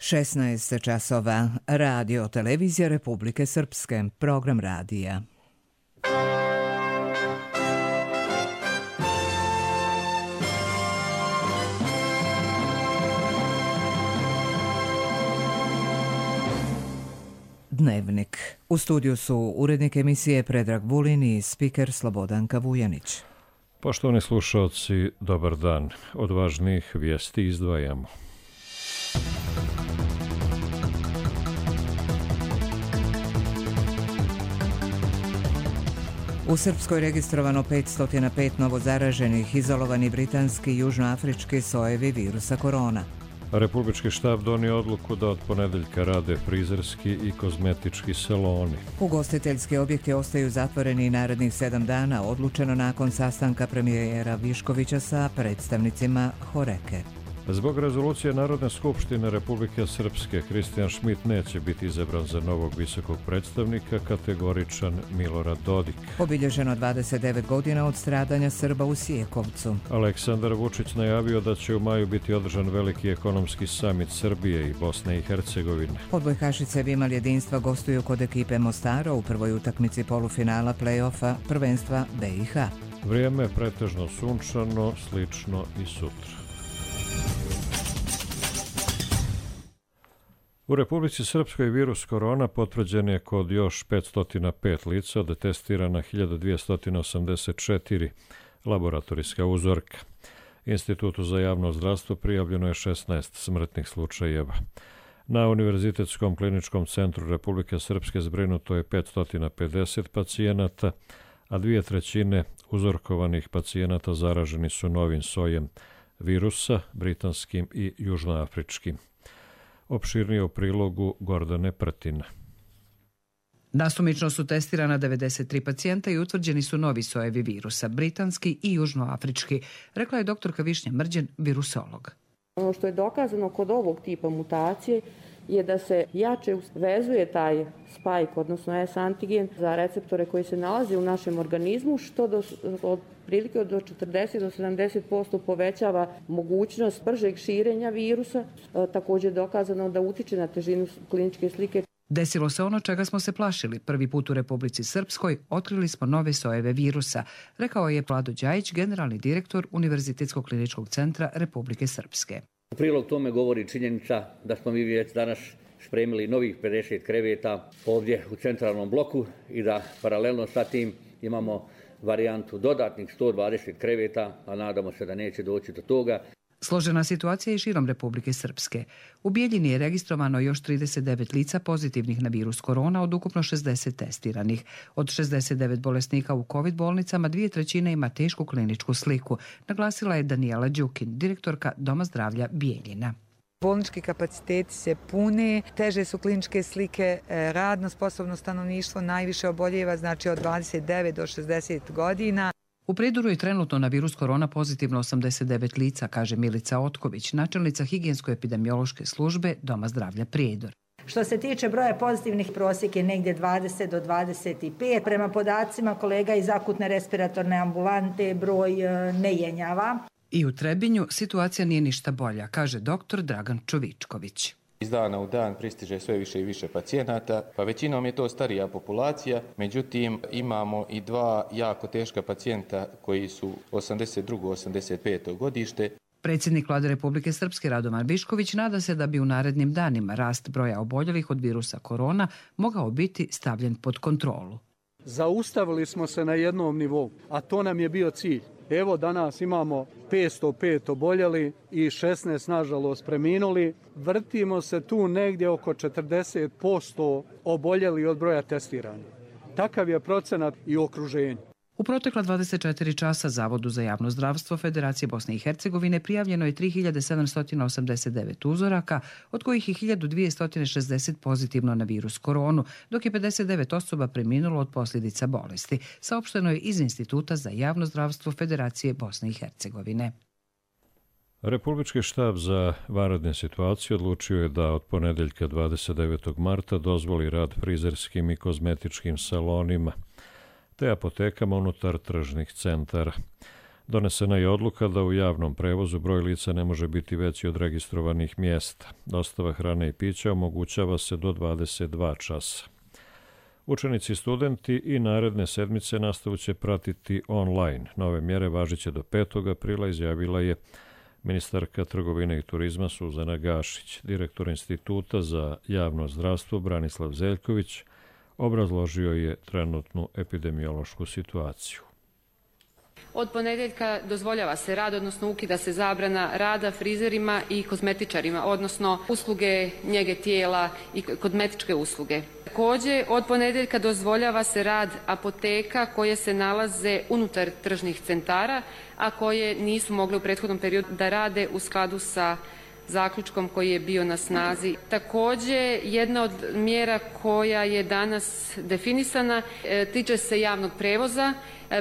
16 časova. Radio Televizija Republike Srpske. Program radija. Dnevnik. U studiju su urednik emisije Predrag Vulin i spiker Slobodanka Vujanić. Poštovani slušalci, dobar dan. Od važnijih vijesti izdvajamo. U Srpskoj registrovano 505 novozaraženih, izolovani britanski i južnoafrički sojevi virusa korona. Republički štab donio odluku da od ponedeljka rade frizerski i kozmetički saloni. Ugostiteljski objekti ostaju zatvoreni narednih 7 dana, odlučeno nakon sastanka premijera Viškovića sa predstavnicima Horeke. Zbog rezolucije Narodne skupštine Republike Srpske, Kristijan Šmit neće biti izabran za novog visokog predstavnika, kategoričan Milorad Dodik. Obilježeno 29 godina od stradanja Srba u Sijekovcu. Aleksandar Vučić najavio da će u maju biti održan veliki ekonomski samit Srbije i Bosne i Hercegovine. Odbojkašice Vimal jedinstva gostuju kod ekipe Mostara u prvoj utakmici polufinala play-offa prvenstva BiH. Vrijeme pretežno sunčano, slično i sutra. U Republici Srpskoj virus korona potvrđen je kod još 505 lica od testirana 1284 laboratorijska uzorka. Institutu za javno zdravstvo prijavljeno je 16 smrtnih slučajeva. Na Univerzitetskom kliničkom centru Republike Srpske zbrinuto je 550 pacijenata, a 2/3 uzorkovanih pacijenata zaraženi su novim sojem virusa, britanskim i južnoafričkim. Opširnije u prilogu Gordane Prtina. Nasumično su testirana 93 pacijenta i utvrđeni su novi sojevi virusa, britanski i južnoafrički, rekla je doktorka Višnja Mrđen, virusolog. Ono što je dokazano kod ovog tipa mutacije je da se jače vezuje taj spike, odnosno S-antigen, za receptore koji se nalaze u našem organizmu, što otprilike do 40 do 70% povećava mogućnost bržeg širenja virusa. Također je dokazano da utiče na težinu kliničke slike. Desilo se ono čega smo se plašili. Prvi put u Republici Srpskoj otkrili smo nove sojeve virusa, rekao je Vlado Đajić, generalni direktor Univerzitetskog kliničkog centra Republike Srpske. U prilog tome govori činjenica da smo mi već danas spremili novih 50 kreveta ovdje u centralnom bloku i da paralelno sa tim imamo varijantu dodatnih 120 kreveta, a nadamo se da neće doći do toga. Složena situacija je širom Republike Srpske. U Bijeljini je registrovano još 39 lica pozitivnih na virus korona od ukupno 60 testiranih. Od 69 bolesnika u COVID bolnicama 2/3 ima tešku kliničku sliku, naglasila je Danijela Đukin, direktorka Doma zdravlja Bijeljina. Bolnički kapaciteti se pune, teže su kliničke slike, radno sposobno stanovništvo najviše oboljeva, znači od 29 do 60 godina. U Prijedoru je trenutno na virus korona pozitivno 89 lica, kaže Milica Otković, načelnica higijensko-epidemiološke službe Doma zdravlja Prijedor. Što se tiče broja pozitivnih, prosjek je negdje 20 do 25. Prema podacima kolega iz akutne respiratorne ambulante broj ne jenjava. I u Trebinju situacija nije ništa bolja, kaže doktor Dragan Čovičković. Iz dana u dan pristiže sve više i više pacijenata, pa većinom je to starija populacija, međutim imamo i 2 jako teška pacijenta koji su 82. 85. godište. Predsjednik Vlade Republike Srpske Radovan Višković nada se da bi u narednim danima rast broja oboljelih od virusa korona mogao biti stavljen pod kontrolu. Zaustavili smo se na jednom nivou, a to nam je bio cilj. Evo danas imamo 505 oboljeli i 16 nažalost preminuli. Vrtimo se tu negdje oko 40% oboljeli od broja testiranja. Takav je procenat i u okruženju. U protekla 24 časa Zavodu za javno zdravstvo Federacije Bosne i Hercegovine prijavljeno je 3789 uzoraka, od kojih je 1260 pozitivno na virus koronu, dok je 59 osoba preminulo od posljedica bolesti, saopšteno je iz Instituta za javno zdravstvo Federacije Bosne i Hercegovine. Republički štab za vanredne situacije odlučio je da od ponedeljka 29. marta dozvoli rad frizerskim i kozmetičkim salonima te apotekama unutar tržnih centara. Donesena je odluka da u javnom prevozu broj lica ne može biti veći od registrovanih mjesta. Dostava hrane i pića omogućava se do 22 časa. Učenici i studenti i naredne sedmice nastavu će pratiti online. Nove mjere važiće do 5. aprila, izjavila je ministarka trgovine i turizma Suzana Gašić. Direktor Instituta za javno zdravstvo Branislav Zeljković obrazložio je trenutnu epidemiološku situaciju. Od ponedjeljka dozvoljava se rad, odnosno ukida se zabrana rada frizerima i kozmetičarima, odnosno usluge njege tijela i kozmetičke usluge. Također, od ponedjeljka dozvoljava se rad apoteka koje se nalaze unutar tržnih centara, a koje nisu mogle u prethodnom periodu da rade u skladu sa zaključkom koji je bio na snazi. Također, jedna od mjera koja je danas definisana tiče se javnog prevoza,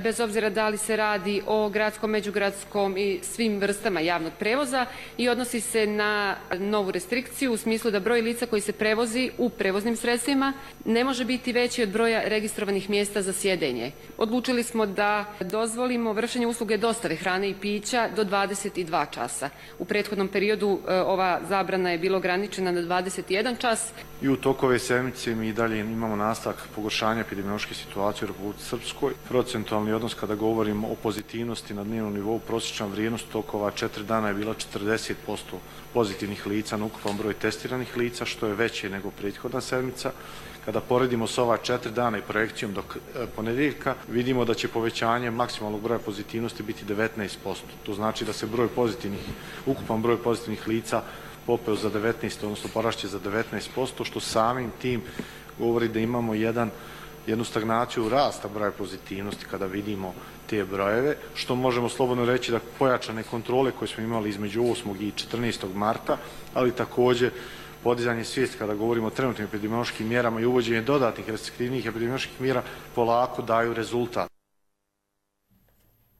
bez obzira da li se radi o gradskom, međugradskom i svim vrstama javnog prevoza, i odnosi se na novu restrikciju u smislu da broj lica koji se prevozi u prevoznim sredstvima ne može biti veći od broja registrovanih mjesta za sjedenje. Odlučili smo da dozvolimo vršenje usluge dostave hrane i pića do 22 časa. U prethodnom periodu ova zabrana je bila ograničena na 21 čas. I u toku ove sedmice mi i dalje imamo nastavak pogoršanja epidemiološke situacije u Republici Srpskoj. Procentualni odnos kada govorimo o pozitivnosti na dnevnom nivou, prosječna vrijednost tokova 4 dana je bila 40% pozitivnih lica na ukupan broj testiranih lica, što je veće nego prethodna sedmica. Kada poredimo s ova 4 dana i projekcijom do ponedjeljka, vidimo da će povećanje maksimalnog broja pozitivnosti biti 19%. To znači da se ukupan broj pozitivnih lica popeo za 19, odnosno porašće za 19%, što samim tim govori da imamo jednu stagnaciju rasta broja pozitivnosti kada vidimo te brojeve, što možemo slobodno reći da pojačane kontrole koje smo imali između 8. i 14. marta, ali također podizanje svijesti kada govorimo o trenutnim epidemiološkim mjerama i uvođenje dodatnih restriktivnih epidemioloških mjera polako daju rezultat.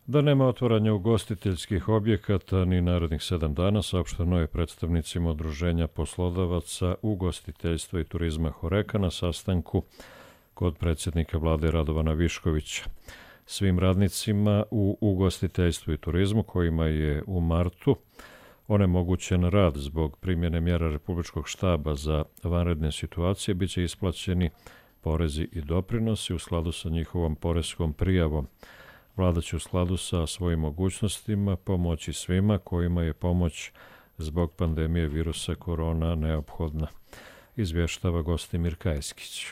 Da nema otvaranja ugostiteljskih objekata ni narednih 7 dana, saopšteno je predstavnicima Udruženja poslodavaca ugostiteljstva i turizma Horeka na sastanku kod predsjednika vlade Radovana Viškovića. Svim radnicima u ugostiteljstvu i turizmu kojima je u martu onemogućen rad zbog primjene mjera Republičkog štaba za vanredne situacije biće isplaćeni porezi i doprinosi u skladu sa njihovom poreskom prijavom. Vlada će u skladu sa svojim mogućnostima pomoći svima kojima je pomoć zbog pandemije virusa korona neophodna, izvještava Gostimir Kajskić.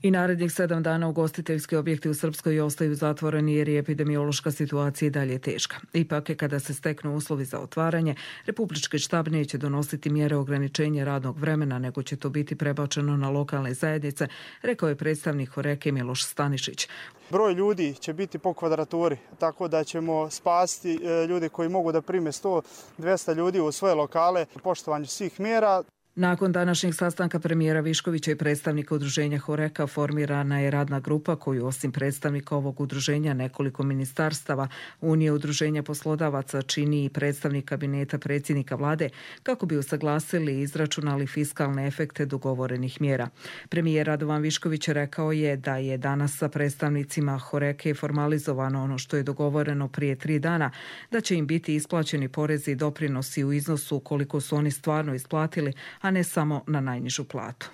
I narednih 7 dana ugostiteljski objekti u Srpskoj ostaju zatvoreni jer je epidemiološka situacija i dalje teška. Ipak je kada se steknu uslovi za otvaranje, Republički štab neće donositi mjere ograničenja radnog vremena, nego će to biti prebačeno na lokalne zajednice, rekao je predstavnik Horeke Miloš Stanišić. Broj ljudi će biti po kvadraturi, tako da ćemo spasiti ljude koji mogu da prime 100-200 ljudi u svoje lokale u poštovanju svih mjera. Nakon današnjeg sastanka premijera Viškovića i predstavnika udruženja Horeka formirana je radna grupa koju osim predstavnika ovog udruženja nekoliko ministarstava Unije udruženja poslodavaca čini i predstavnik kabineta predsjednika vlade kako bi usaglasili i izračunali fiskalne efekte dogovorenih mjera. Premijer Radovan Višković rekao je da je danas sa predstavnicima Horeke formalizovano ono što je dogovoreno prije 3 dana, da će im biti isplaćeni porezi i doprinosi u iznosu koliko su oni stvarno isplatili, a ne samo na najnižu platu.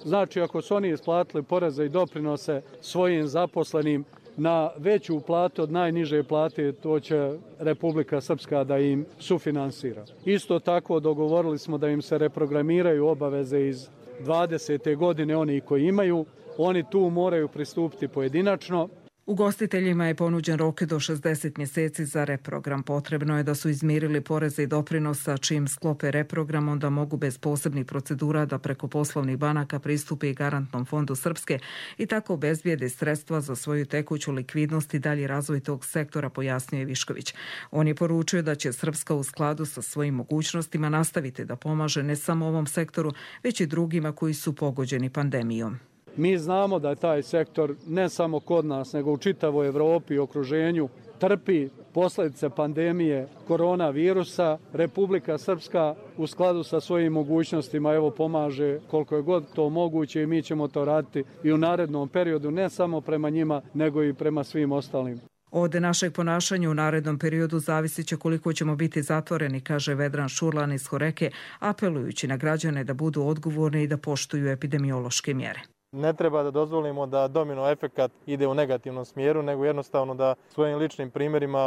Znači, ako su oni isplatili poreze i doprinose svojim zaposlenim na veću platu od najniže plate, to će Republika Srpska da im sufinansira. Isto tako dogovorili smo da im se reprogramiraju obaveze iz 20. godine, oni koji imaju, oni tu moraju pristupiti pojedinačno. Ugostiteljima je ponuđen rok do 60 mjeseci za reprogram. Potrebno je da su izmirili poreze i doprinosa, čim sklope reprogram, onda mogu bez posebnih procedura da preko poslovnih banaka pristupe i garantnom fondu Srpske i tako obezbijede sredstva za svoju tekuću likvidnost i dalji razvoj tog sektora, pojasnio je Višković. On je poručio da će Srpska u skladu sa svojim mogućnostima nastaviti da pomaže ne samo ovom sektoru, već i drugima koji su pogođeni pandemijom. Mi znamo da je taj sektor ne samo kod nas, nego u čitavoj Evropi i okruženju trpi posljedice pandemije koronavirusa. Republika Srpska u skladu sa svojim mogućnostima pomaže koliko je god to moguće i mi ćemo to raditi i u narednom periodu, ne samo prema njima, nego i prema svim ostalim. Od našeg ponašanja u narednom periodu zavisit će koliko ćemo biti zatvoreni, kaže Vedran Šurlan iz Horeke, apelujući na građane da budu odgovorni i da poštuju epidemiološke mjere. Ne treba da dozvolimo da domino efekat ide u negativnom smjeru, nego jednostavno da svojim ličnim primjerima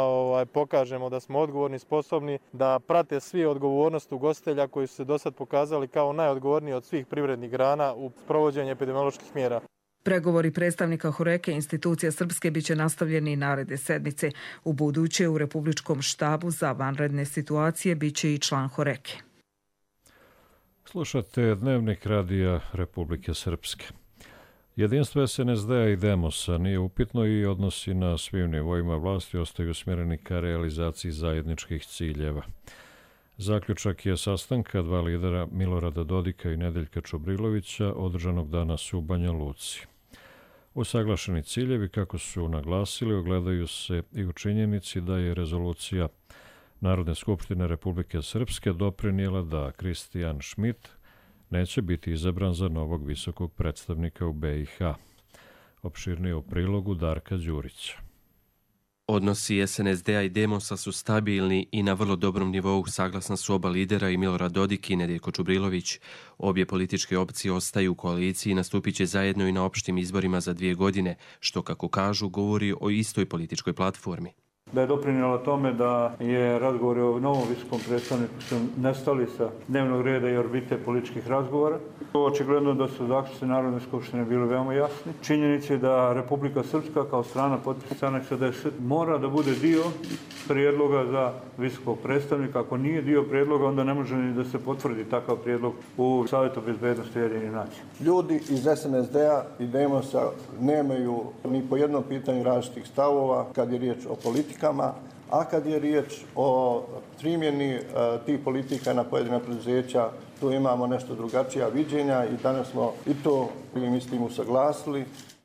pokažemo da smo odgovorni, sposobni, da prate svi odgovornost ugostitelja koji su se do sad pokazali kao najodgovorniji od svih privrednih grana u provođenju epidemioloških mjera. Pregovori predstavnika Horeke institucija Srpske biće nastavljeni i naredne sedmice. U buduće u Republičkom štabu za vanredne situacije biće i član Horeke. Slušate Dnevnik radija Republike Srpske. Jedinstvo SNSD-a i Demosa nije upitno i odnosi na svim nivoima vlasti ostaju usmjereni ka realizaciji zajedničkih ciljeva. Zaključak je sastanka dva lidera Milorada Dodika i Nedeljka Čubrilovića održanog danas u Banja Luci. Usaglašeni ciljevi, kako su naglasili, ogledaju se i u činjenici da je rezolucija Narodne skupštine Republike Srpske doprinijela da Kristijan Šmit neće biti izabran za novog visokog predstavnika u BiH. Opširnije u prilogu Darka Đurića. Odnosi SNSD-a i Demosa su stabilni i na vrlo dobrom nivou, saglasna su oba lidera i Milorad Dodik i Nedeljko Čubrilović. Obje političke opcije ostaju u koaliciji i nastupit će zajedno i na opštim izborima za 2 godine, što, kako kažu, govori o istoj političkoj platformi. Da je doprinijela tome da je razgovori o novom visokom predstavniku su nestali sa dnevnog reda i orbite političkih razgovora. Očigledno da su zaključci Narodne skupštine bili veoma jasni. Činjenica je da Republika Srpska kao strana potpisnica Aneksa 10 mora da bude dio prijedloga za visokog predstavnika. Ako nije dio prijedloga, onda ne može ni da se potvrdi takav prijedlog u Savjetu bezbednosti Ujedinjenih nacija. Ljudi iz SNSD-a i Demosa nemaju ni po jednom pitanju različitih stavova kad je riječ o politikama, a kad je riječ o primjeni tih politika na pojedina preduzeća, tu imamo nešto drugačija viđenja i danas smo i to, mislim, usaglasili.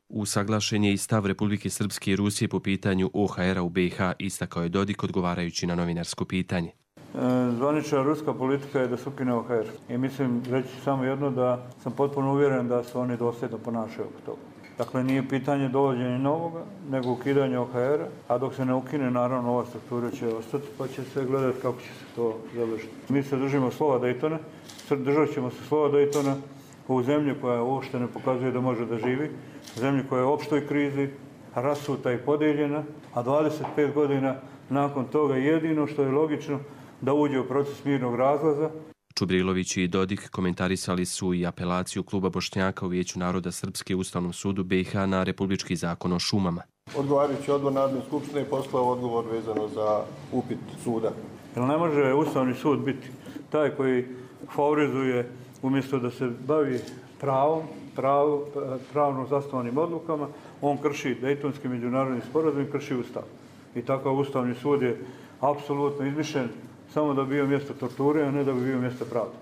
Usaglašen je i stav Republike Srpske i Rusije po pitanju OHR-a u BiH, istakao je Dodik odgovarajući na novinarsko pitanje. Zvanična ruska politika je da se ukine OHR. I mislim, reći samo jedno, da sam potpuno uvjeren da se oni dosljedno ponašaju oko toga. Dakle, nije pitanje dovođenja novoga, nego ukidanje OHR-a, a dok se ne ukine, naravno, ova struktura će ostati, pa će se gledati kako će se to završiti. Mi se držimo slova Daytona, držat ćemo se slova Daytona u zemlji koja uopšte ne pokazuje da može da živi, zemlji koja je u opštoj krizi, rasuta i podijeljena, a 25 godina nakon toga jedino što je logično da uđe u proces mirnog razlaza. Čubrilović i Dodik komentarisali su i apelaciju Kluba Bošnjaka u Vijeću naroda Srpske Ustavnom sudu BiH na Republički zakon o šumama. Odgovarajući odbor Narodne skupštine poslao odgovor vezano za upit suda. Jer ne može Ustavni sud biti taj koji favorizuje umjesto da se bavi pravno zasnovanim odlukama, on krši Dejtonski međunarodni sporazum i krši Ustav. I takav Ustavni sud je apsolutno izmišljen samo da bi bio mjesto torture, a ne da bi bio mjesto pravde.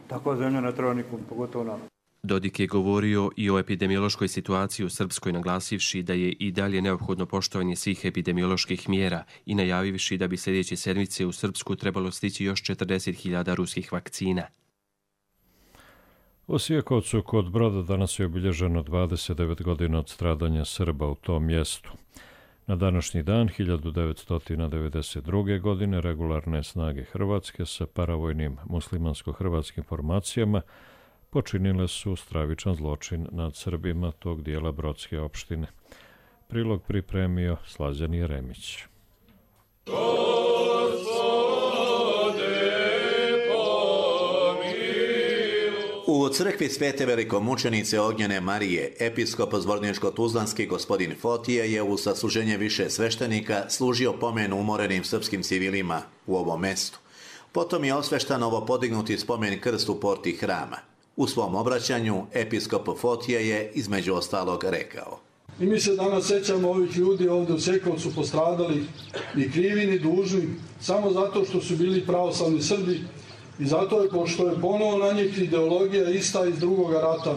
Takva zemlja ne treba nikom, pogotovo nama. Dodik je govorio i o epidemiološkoj situaciji u Srpskoj, naglasivši da je i dalje neophodno poštovanje svih epidemioloških mjera i najavivši da bi sljedeće sedmice u Srpsku trebalo stići još 40.000 ruskih vakcina. U Sijakovcu kod Broda danas je obilježeno 29 godina od stradanja Srba u tom mjestu. Na današnji dan 1992. godine regularne snage Hrvatske sa paravojnim muslimansko-hrvatskim formacijama počinile su stravičan zločin nad Srbima tog dijela Brodske opštine. Prilog pripremio Slađan Jeremić. U crkvi Svete velikomučenice Ognjene Marije, episkop Zvorničko-Tuzlanski gospodin Fotije je u sasluženje više sveštenika služio pomen umorenim srpskim civilima u ovom mestu. Potom je osveštan novopodignuti spomen krst u porti hrama. U svom obraćanju episkop Fotije je između ostalog rekao: I mi se danas sećamo ovih ljudi ovdje u Sekovcu postradali, ni krivi ni dužni, samo zato što su bili pravoslavni Srbi. I zato je, pošto je ponovo na njih ideologija ista iz drugog rata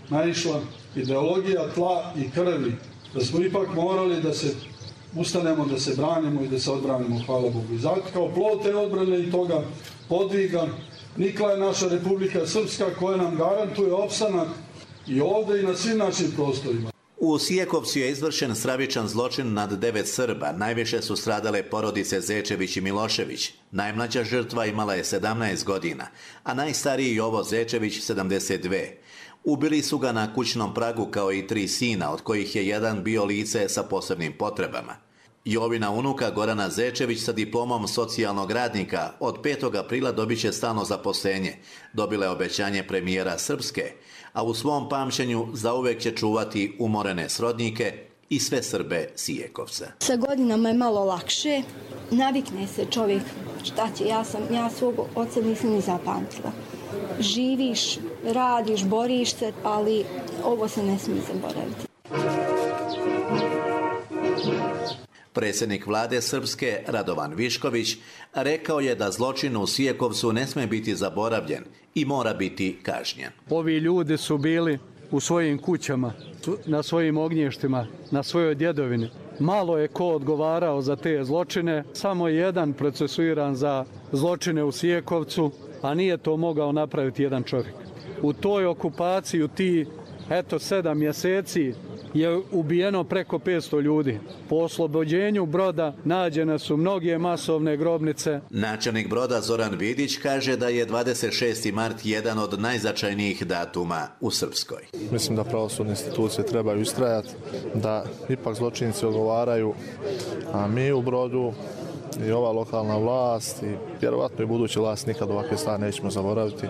naišla, ideologija tla i krvi, da smo ipak morali da se ustanemo, da se branimo i da se odbranimo, hvala Bogu. I zato kao plod te odbrane i toga podviga nikla je naša Republika Srpska koja nam garantuje opstanak i ovdje i na svim našim prostorima. U Sijekovcu je izvršen stravičan zločin nad 9 Srba. Najviše su stradale porodice Zečević i Milošević. Najmlađa žrtva imala je 17 godina, a najstariji Jovo Zečević 72. Ubili su ga na kućnom pragu kao i 3 sina, od kojih je jedan bio lice sa posebnim potrebama. Jovina unuka Gorana Zečević sa diplomom socijalnog radnika od 5. aprila dobit će stalno zaposlenje. Dobila je obećanje premijera Srpske, a u svom pamćenju zauvek će čuvati umorene srodnike i sve Srbe Sijekovca. Sa godinama je malo lakše, navikne se čovjek, šta će, ja svog oca nisam ni zapamtila. Živiš, radiš, boriš se, ali ovo se ne smije zaboraviti. Predsjednik vlade Srpske, Radovan Višković, rekao je da zločin u Sijekovcu ne sme biti zaboravljen i mora biti kažnjen. Ovi ljudi su bili u svojim kućama, na svojim ognjištima, na svojoj djedovini. Malo je ko odgovarao za te zločine, samo jedan procesuiran za zločine u Sijekovcu, a nije to mogao napraviti jedan čovjek. U toj okupaciji, u ti 7 mjeseci, je ubijeno preko 500 ljudi. Po oslobođenju Broda nađene su mnoge masovne grobnice. Načelnik Broda Zoran Vidić kaže da je 26. mart jedan od najznačajnijih datuma u Srpskoj. Mislim da pravosudne institucije trebaju istrajati, da ipak zločinci odgovaraju, a mi u Brodu i ova lokalna vlast i vjerovatno i buduća vlast nikad ovakve stvari nećemo zaboraviti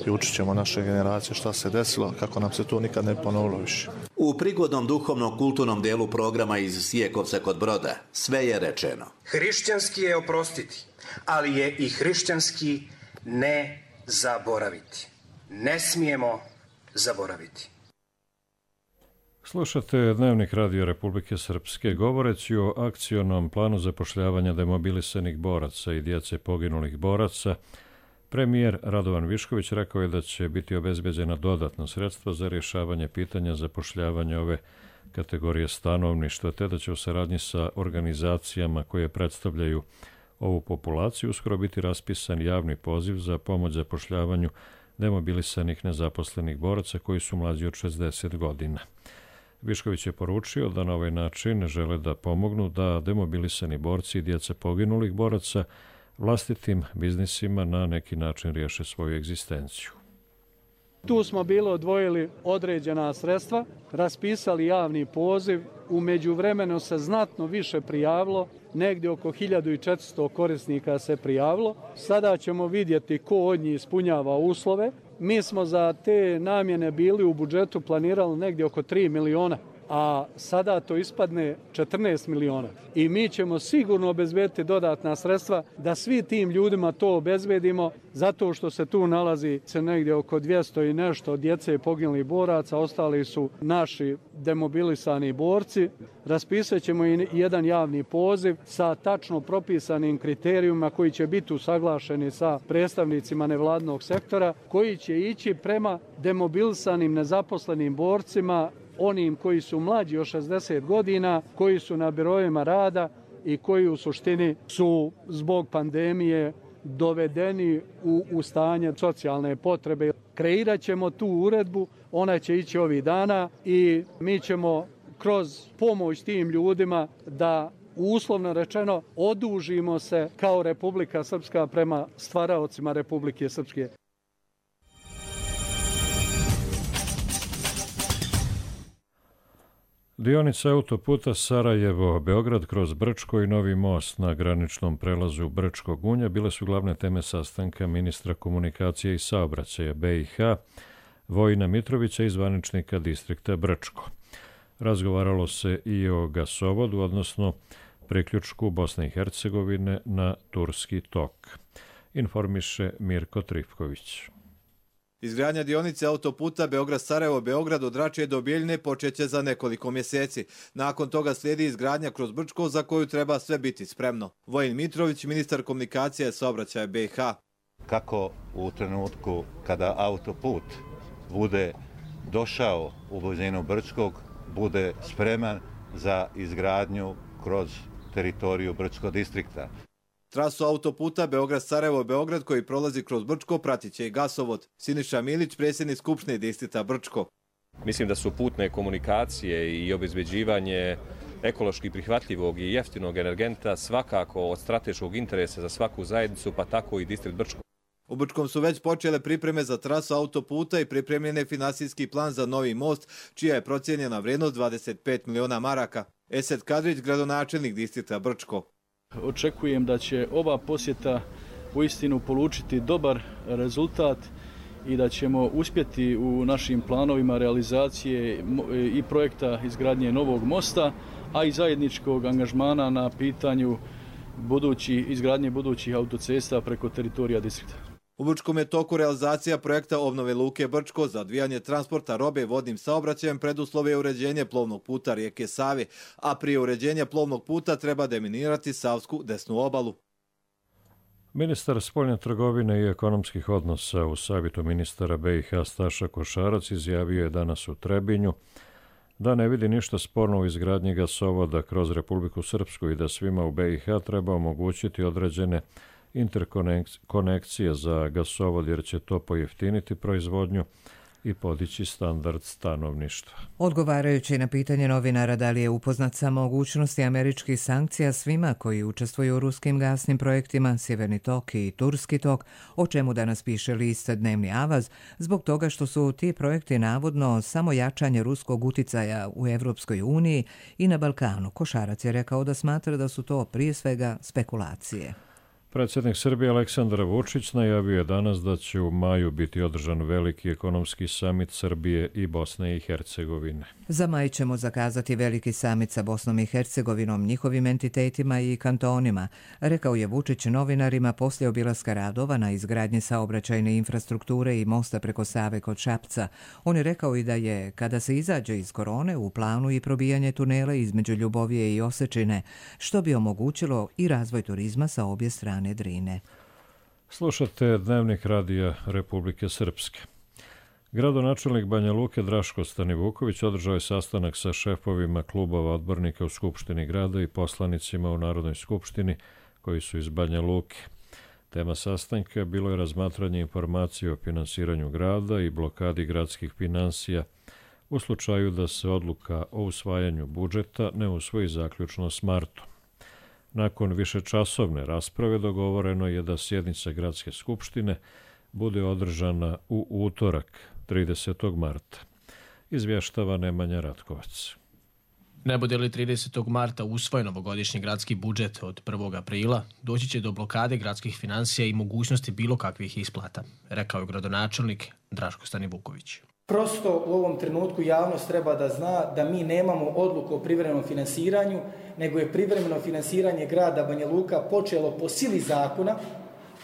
i učit ćemo naše generacije šta se desilo, kako nam se to nikad ne ponovilo više. U prigodnom duhovno-kulturnom dijelu programa iz Sijekovca kod Broda sve je rečeno. Hrišćanski je oprostiti, ali je i hrišćanski ne zaboraviti. Ne smijemo zaboraviti. Slušate Dnevnik Radio Republike Srpske. Govoreći o akcionom planu zapošljavanja demobilisanih boraca i djece poginulih boraca, premijer Radovan Višković rekao je da će biti obezbeđena dodatna sredstva za rješavanje pitanja zapošljavanja ove kategorije stanovništva, te da će u saradnji sa organizacijama koje predstavljaju ovu populaciju uskoro biti raspisan javni poziv za pomoć zapošljavanju demobilisanih nezaposlenih boraca koji su mlađi od 60 godina. Višković je poručio da na ovaj način žele da pomognu da demobilisani borci i djeca poginulih boraca vlastitim biznisima na neki način riješe svoju egzistenciju. Tu smo bili odvojili određena sredstva, raspisali javni poziv, u međuvremenu se znatno više prijavilo, negdje oko 1400 korisnika se prijavilo. Sada ćemo vidjeti ko od njih ispunjava uslove. Mi smo za te namjene bili u budžetu planirali negdje oko 3 miliona, a sada to ispadne 14 miliona. I mi ćemo sigurno obezbediti dodatna sredstva da svi tim ljudima to obezbedimo, zato što se tu nalazi negdje oko 200 i nešto djece poginulih boraca, ostali su naši demobilisani borci. Raspisat ćemo i jedan javni poziv sa tačno propisanim kriterijima koji će biti usaglašeni sa predstavnicima nevladnog sektora, koji će ići prema demobilisanim nezaposlenim borcima, onim koji su mlađi od 60 godina, koji su na biroima rada i koji u suštini su zbog pandemije dovedeni u stanje socijalne potrebe. Kreirat ćemo tu uredbu, ona će ići ovih dana i mi ćemo kroz pomoć tim ljudima da uslovno rečeno odužimo se kao Republika Srpska prema stvaraocima Republike Srpske. Dionica autoputa Sarajevo-Beograd kroz Brčko i novi most na graničnom prelazu Brčko Gunja bile su glavne teme sastanka ministra komunikacije i saobraćaja BiH Vojina Mitrovića i zvaničnika distrikta Brčko. Razgovaralo se i o gasovodu, odnosno priključku Bosne i Hercegovine na Turski tok. Informiše Mirko Trifković. Izgradnja dionice autoputa Beograd-Sarajevo-Beograd od Račije do Bijeljine počeće za nekoliko mjeseci. Nakon toga slijedi izgradnja kroz Brčko za koju treba sve biti spremno. Vojin Mitrović, ministar komunikacije i saobraćaja BiH. Kako u trenutku kada autoput bude došao u blizinu Brčkog, bude spreman za izgradnju kroz teritoriju Brčkog distrikta. Trasu autoputa Beograd-Sarajevo-Beograd koji prolazi kroz Brčko pratit će i gasovod. Siniša Milić, predsjednik Skupštine distrikta Brčko. Mislim da su putne komunikacije i obezbeđivanje ekološki prihvatljivog i jeftinog energenta svakako od strateškog interesa za svaku zajednicu, pa tako i distrikt Brčko. U Brčkom su već počele pripreme za trasu autoputa i pripremljen je finansijski plan za novi most, čija je procijenjena vrijednost 25 miliona maraka. Esed Kadrić, gradonačelnik distrikta Brčko. Očekujem da će ova posjeta uistinu polučiti dobar rezultat i da ćemo uspjeti u našim planovima realizacije i projekta izgradnje novog mosta, a i zajedničkog angažmana na pitanju izgradnje budućih autocesta preko teritorija distrikta. U Brčkom je toku realizacija projekta obnove luke Brčko za odvijanje transporta robe vodnim saobraćajem. Preduslov je uređenje plovnog puta rijeke Save, a prije uređenja plovnog puta treba deminirati savsku desnu obalu. Ministar spoljne trgovine i ekonomskih odnosa u savjetu ministara BiH Staša Košarac izjavio je danas u Trebinju da ne vidi ništa sporno u izgradnji gasovoda kroz Republiku Srpsku i da svima u BiH treba omogućiti određene interkonekcije za gasovod jer će to pojeftiniti proizvodnju i podići standard stanovništva. Odgovarajući na pitanje novinara da li je upoznat sa mogućnosti američkih sankcija svima koji učestvuju u ruskim gasnim projektima Sjeverni tok i Turski tok, o čemu danas piše list Dnevni Avaz, zbog toga što su ti projekti navodno samo jačanje ruskog uticaja u Evropskoj uniji i na Balkanu. Košarac je rekao da smatra da su to prije svega spekulacije. Predsjednik Srbije Aleksandar Vučić najavio je danas da će u maju biti održan veliki ekonomski samit Srbije i Bosne i Hercegovine. Za maj ćemo zakazati veliki samit sa Bosnom i Hercegovinom, njihovim entitetima i kantonima, rekao je Vučić novinarima poslije obilaska radova na izgradnji saobraćajne infrastrukture i mosta preko Save kod Šapca. On je rekao i da je, kada se izađe iz korone, u planu i probijanje tunela između Ljubovije i Osečine, što bi omogućilo i razvoj turizma sa obje strane Drine. Slušate Dnevnik radija Republike Srpske. Gradonačelnik Banja Luke Draško Stanivuković održao je sastanak sa šefovima klubova odbornika u Skupštini grada i poslanicima u Narodnoj skupštini koji su iz Banja Luke. Tema sastanka bilo je razmatranje informacije o finansiranju grada i blokadi gradskih finansija u slučaju da se odluka o usvajanju budžeta ne usvoji zaključno s martom. Nakon višečasovne rasprave dogovoreno je da sjednica Gradske skupštine bude održana u utorak, 30. marta. Izvještava Nemanja Ratkovac. Ne bude li 30. marta usvojen ovogodišnji gradski budžet od 1. aprila, doći će do blokade gradskih financija i mogućnosti bilo kakvih isplata, rekao je gradonačelnik Draško Stanivuković. Prosto u ovom trenutku javnost treba da zna da mi nemamo odluku o privremenom finansiranju, nego je privremeno finansiranje grada Banja Luka počelo po sili zakona,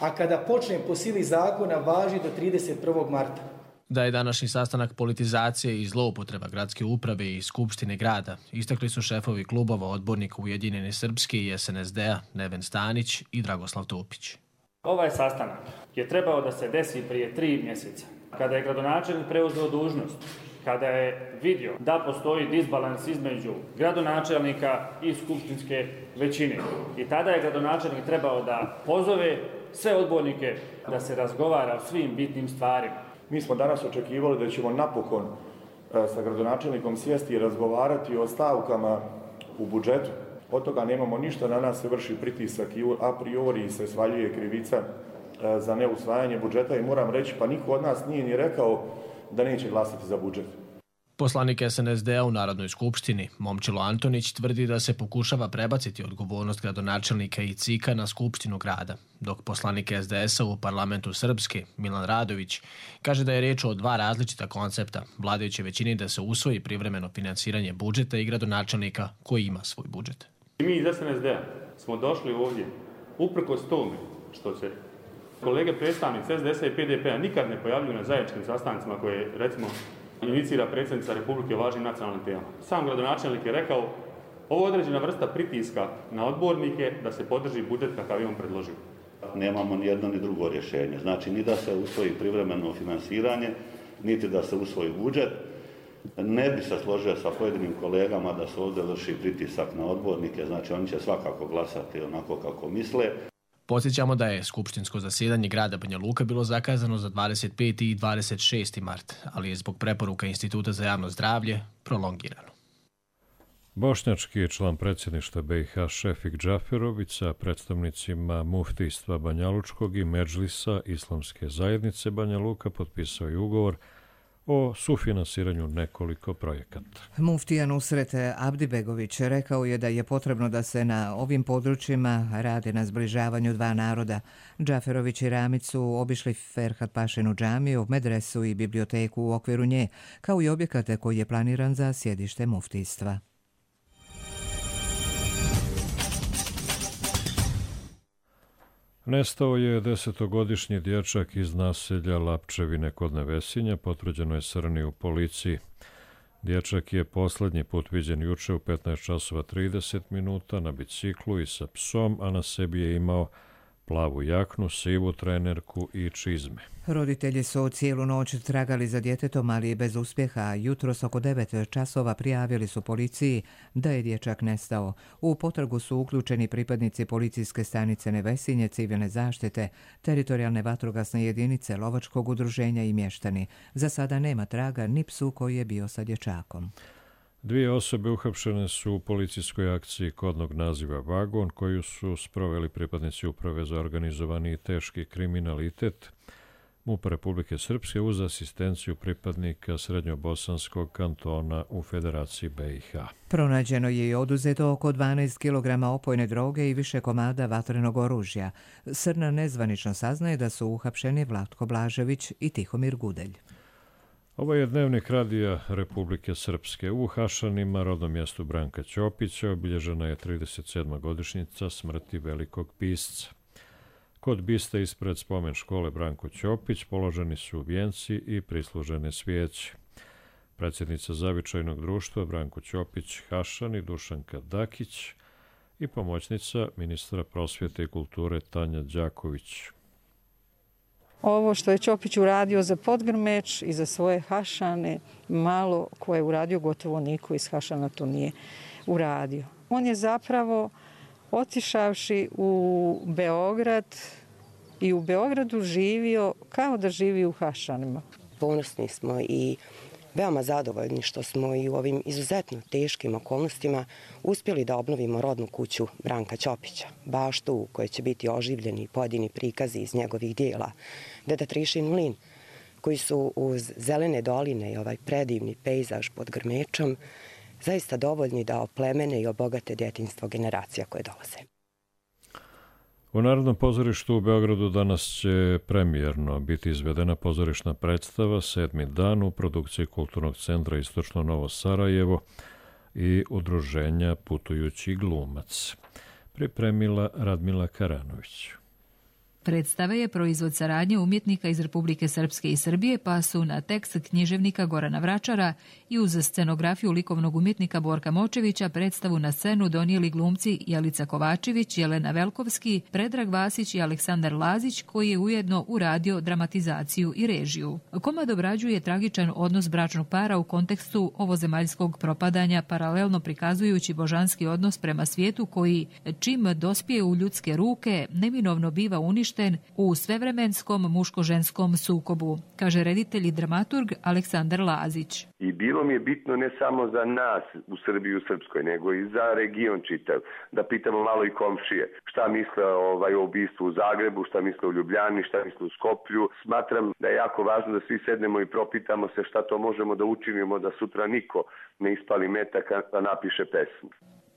a kada počne po sili zakona važi do 31. marta. Da je današnji sastanak politizacije i zloupotreba gradske uprave i skupštine grada, istakli su šefovi klubova odbornika Ujedinjene Srpske i SNSD-a Neven Stanić i Dragoslav Topić. Ovaj sastanak je trebao da se desi prije 3 mjeseca. Kada je gradonačelnik preuzeo dužnost, kada je vidio da postoji disbalans između gradonačelnika i skupštinske većine. I tada je gradonačelnik trebao da pozove sve odbornike da se razgovara o svim bitnim stvarima. Mi smo danas očekivali da ćemo napokon sa gradonačelnikom sjesti i razgovarati o stavkama u budžetu. Od toga nemamo ništa, na nas se vrši pritisak i a priori se svaljuje krivica za neusvajanje budžeta i moram reći, pa niko od nas nije ni rekao da neće glasati za budžet. Poslanik SNSD-a u Narodnoj skupštini, Momčilo Antonić, tvrdi da se pokušava prebaciti odgovornost gradonačelnika i CIK-a na skupštinu grada, dok poslanik SDS-a u parlamentu Srpske, Milan Radović, kaže da je riječ o 2 različita koncepta, vladajuće većini da se usvoji privremeno finansiranje budžeta i gradonačelnika koji ima svoj budžet. Mi iz SNSD-a smo došli ovdje uprkos tome što se kolege predstavnici SDS-a i PDP-a nikad ne pojavljuju na zajedničkim sastancima koje, recimo, inicira predsjednica Republike o važnim nacionalnim temama. Sam gradonačelnik je rekao, ovo je određena vrsta pritiska na odbornike da se podrži budžet kakav je on predložio. Nemamo ni jedno ni drugo rješenje. Znači, ni da se usvoji privremeno finansiranje, niti da se usvoji budžet. Ne bi se složio sa pojedinim kolegama da se ovdje vrši pritisak na odbornike, znači oni će svakako glasati onako kako misle. Podsjećamo da je skupštinsko zasjedanje grada Banja Luka bilo zakazano za 25. i 26. mart, ali je zbog preporuka Instituta za javno zdravlje prolongirano. Bošnjački član predsjedništva BiH Šefik Džaferović sa predstavnicima muftijstva Banjalučkog i Medžlisa Islamske zajednice Banja Luka potpisao je ugovor o sufinansiranju nekoliko projekata. Muftija Nusret Abdibegović rekao je da je potrebno da se na ovim područjima radi na zbližavanju dva naroda. Džaferović i Ramić su obišli Ferhat Pašinu džamiju, medresu i biblioteku u okviru nje, kao i objekate koji je planiran za sjedište muftijstva. Nestao je 10-godišnji dječak iz naselja Lapčevine kod Nevesinja, potvrđeno je Srni u policiji. Dječak je posljednji put viđen juče u 15:30 na biciklu i sa psom, a na sebi je imao plavu jaknu, sivu trenerku i čizme. Roditelji su cijelu noć tragali za djetetom, ali bez uspjeha. Jutros oko 9 časova prijavili su policiji da je dječak nestao. U potragu su uključeni pripadnici policijske stanice Nevesinje, civilne zaštite, teritorijalne vatrogasne jedinice, lovačkog udruženja i mještani. Za sada nema traga ni psu koji je bio sa dječakom. 2 osobe uhapšene su u policijskoj akciji kodnog naziva Vagon, koju su sproveli pripadnici Uprave za organizovani i teški kriminalitet MUP Republike Srpske uz asistenciju pripadnika Srednjobosanskog kantona u Federaciji BiH. Pronađeno je i oduzeto oko 12 kg opojne droge i više komada vatrenog oružja. Srna nezvanično saznaje da su uhapšeni Vlatko Blažević i Tihomir Gudelj. Ovo je dnevnik Radija Republike Srpske. U Hašanima, rodnom mjestu Branka Ćopića, obilježena je 37. godišnjica smrti velikog pisca. Kod biste ispred spomen škole Branko Ćopić položeni su vijenci i prislužene svijeće. Predsjednica Zavičajnog društva Branko Ćopić Hašani Dušanka Dakić i pomoćnica ministra prosvjete i kulture Tanja Đaković. Ovo što je Ćopić uradio za Podgrmeč i za svoje Hašane, malo ko je uradio, gotovo niko iz Hašana to nije uradio. On je zapravo otišavši u Beograd i u Beogradu živio kao da živi u Hašanima. Ponosni smo i veoma zadovoljni što smo i u ovim izuzetno teškim okolnostima uspjeli da obnovimo rodnu kuću Branka Ćopića, baštu u kojoj će biti oživljeni pojedini prikazi iz njegovih dijela, Deda Trišin mlin, koji su uz zelene doline i ovaj predivni pejzaž pod Grmečom zaista dovoljni da oplemene i obogate djetinjstvo generacija koje dolaze. U Narodnom pozorištu u Beogradu danas će premijerno biti izvedena pozorišna predstava 7. dan u produkciji Kulturnog centra Istočno Novo Sarajevo i udruženja Putujući glumac. Pripremila Radmila Karanović. Predstava je proizvod saradnje umjetnika iz Republike Srpske i Srbije, pa su na tekst književnika Gorana Vračara i uz scenografiju likovnog umjetnika Borka Močevića predstavu na scenu donijeli glumci Jelica Kovačević, Jelena Velkovski, Predrag Vasić i Aleksandar Lazić, koji je ujedno uradio dramatizaciju i režiju. Komad obrađuje tragičan odnos bračnog para u kontekstu ovozemaljskog propadanja, paralelno prikazujući božanski odnos prema svijetu koji, čim dospije u ljudske ruke, neminovno biva uništen u svevremenskom muško-ženskom sukobu, kaže reditelj i dramaturg Aleksandar Lazić. I bilo mi je bitno ne samo za nas u Srbiji i u Srpskoj, nego i za region čitav, da pitamo malo i komšije šta misle o ubistvu u Zagrebu, šta misle u Ljubljani, šta misle u Skoplju. Smatram da je jako važno da svi sednemo i propitamo se šta to možemo da učinimo da sutra niko ne ispali metak, a napiše pesmu.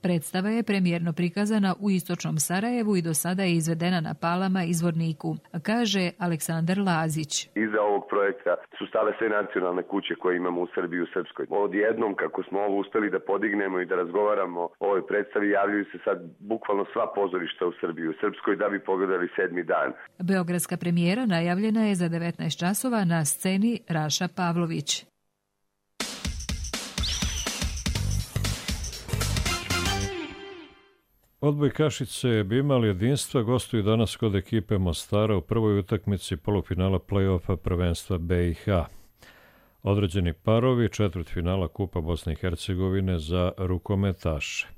Predstava je premijerno prikazana u Istočnom Sarajevu i do sada je izvedena na Palama i Zvorniku, kaže Aleksandar Lazić. Iza ovog projekta su stale sve nacionalne kuće koje imamo u Srbiji i u Srpskoj. Odjednom, kako smo ovo uspeli da podignemo i da razgovaramo o ovoj predstavi, javljaju se sad bukvalno sva pozorišta u Srbiji i u Srpskoj da bi pogledali 7. dan. Beogradska premijera najavljena je za 19 časova na sceni Raša Pavlović. Odbojkašice bi imali jedinstva, gostuju danas kod ekipe Mostara u prvoj utakmici polufinala play-offa prvenstva BiH. Određeni parovi četvrtfinala Kupa Bosne i Hercegovine za rukometaše.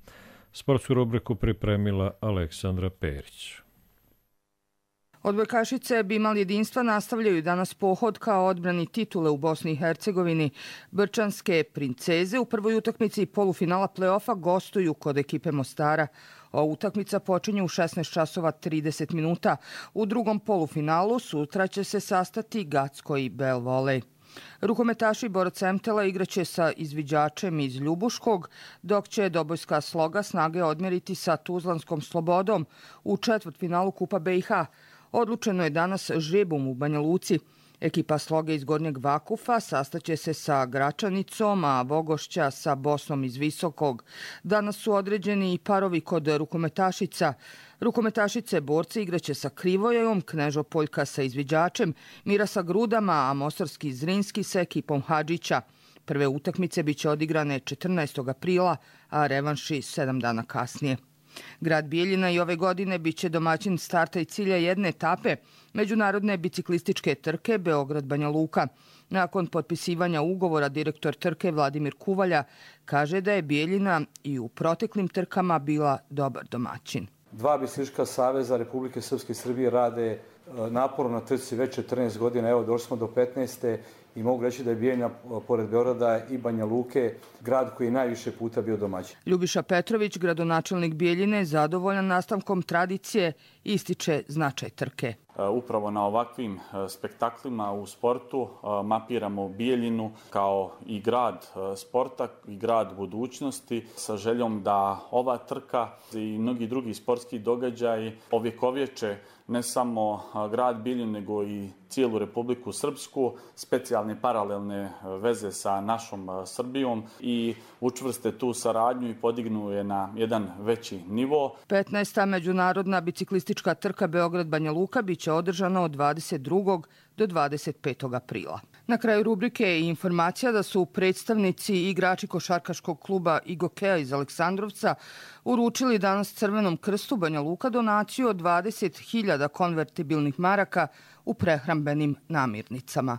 Sportsku rubriku pripremila Aleksandra Perić. Odbojkašice Bimal jedinstva nastavljaju danas pohod kao odbrani titule u Bosni i Hercegovini. Brčanske princeze u prvoj utakmici polufinala play-offa gostuju kod ekipe Mostara. Ova utakmica počinje u 16 časova 30 minuta. U drugom polufinalu sutra će se sastati Gacko i Bel Volej. Rukometaši Borac Emtela igraće sa izviđačem iz Ljubuškog, dok će Dobojska Sloga snage odmjeriti sa Tuzlanskom Slobodom u četvrtfinalu Kupa BiH. Odlučeno je danas žrebom u Banja Luci. Ekipa Sloge iz Gornjeg Vakufa sastaće se sa Gračanicom, a Vogošća sa Bosnom iz Visokog. Danas su određeni i parovi kod rukometašica. Rukometašice borci igraće sa Krivojom, Knežopoljka sa izviđačem, Mira sa Grudama, a Mostarski Zrinski sa ekipom Hadžića. Prve utakmice biće odigrane 14. aprila, a revanši 7 dana kasnije. Grad Bijeljina i ove godine biće domaćin starta i cilja jedne etape međunarodne biciklističke trke Beograd-Banja Luka. Nakon potpisivanja ugovora direktor trke Vladimir Kuvalja kaže da je Bijeljina i u proteklim trkama bila dobar domaćin. Dva biciklistička saveza Republike Srpske i Srbije rade naporno na trci već 14 godina. Evo, došli smo do 15. i mogu reći da je Bijeljina, pored Beograda i Banja Luke, grad koji je najviše puta bio domaćin. Ljubiša Petrović, gradonačelnik Bijeljine, zadovoljan nastavkom tradicije, ističe značaj trke. Upravo na ovakvim spektaklima u sportu mapiramo Bijeljinu kao i grad sporta i grad budućnosti sa željom da ova trka i mnogi drugi sportski događaji ovjekovječe ne samo grad Bijeljinu nego i cijelu Republiku Srpsku, specijalne paralelne veze sa našom Srbijom i učvrste tu saradnju i podignu je na jedan veći nivo. 15. međunarodna biciklistička trka Beograd-Banja Luka biće održana od 22. do 25. aprila. Na kraju rubrike je informacija da su predstavnici i igrači košarkaškog kluba Igokea iz Aleksandrovca uručili danas Crvenom krstu Banja Luka donaciju od 20.000 konvertibilnih maraka u prehrambenim namirnicama.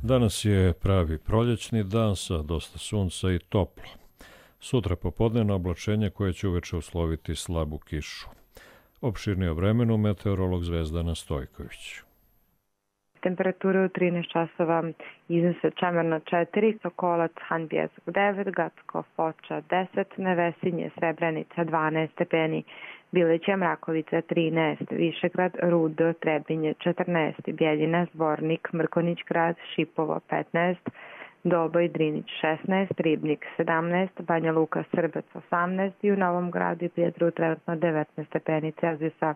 Danas je pravi proljećni dan sa dosta sunca i toplo. Sutra popodnevno oblačenje koje će uveče usloviti slabu kišu. Opširnije o vremenu meteorolog Zvezdana Stojković. Temperature u 13 časova iznose Čemerna 4, Sokolac, Han Bjesak 9, Gacko, Foča 10, Nevesinje, Srebrenica 12 stepeni, Bileća, Mrakovica 13, Višegrad, Rudo, Trebinje 14, Bjeljina, Zvornik, Mrkonić grad, Šipovo 15, Doboj, Drinić 16, Ribnik 17, Banja Luka, Srbac 18 i u Novom Gradu i Prijedru trenutno 19 stepeni Celzijusa.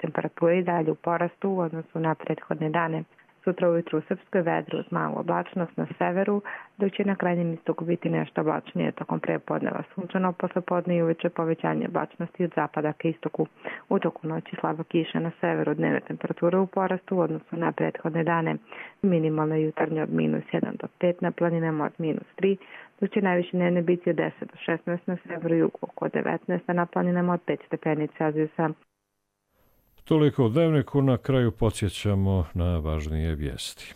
Temperatura i dalje u porastu u odnosu na prethodne dane. Sutra ujutru u Srpskoj vedru uz malu oblačnost na severu, dok će na krajnjem istoku biti nešto oblačnije tokom prepodneva sunčano, poslepodne i uveče povećanje oblačnosti od zapada ka istoku. U toku noći slaba kiša na severu, dnevne temperature u porastu u odnosu na prethodne dane. Minimalna jutarnja od -1 do 5, na planinama od -3, dok će najviše dnevne biti od 10 do 16 na severu i jugu, oko 19, a na planinama od 5 stepeni Celzijusa. Toliko u dnevniku, na kraju podsjećamo na važnije vijesti.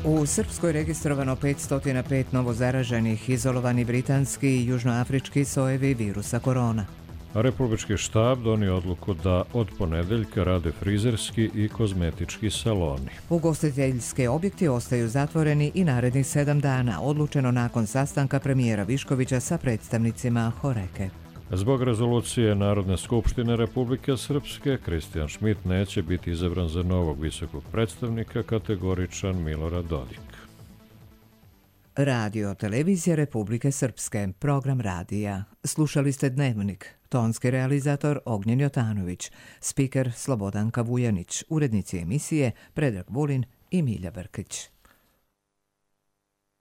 U Srpskoj registrovano 505 novozaraženih, izolovani britanski i južnoafrički sojevi virusa korona. Republički štab donio odluku da od ponedeljka rade frizerski i kozmetički saloni. Ugostiteljski objekti ostaju zatvoreni i narednih 7 dana, odlučeno nakon sastanka premijera Viškovića sa predstavnicima Horeke. Zbog rezolucije Narodne skupštine Republike Srpske, Kristijan Šmit neće biti izabran za novog visokog predstavnika, kategoričan Milorad Dodik. Radio Televizija Republike Srpske, program radija. Slušali ste Dnevnik, tonski realizator Ognjen Jotanović, spiker Slobodanka Vujanić, urednici emisije Predrag Vulin i Milja Brkić.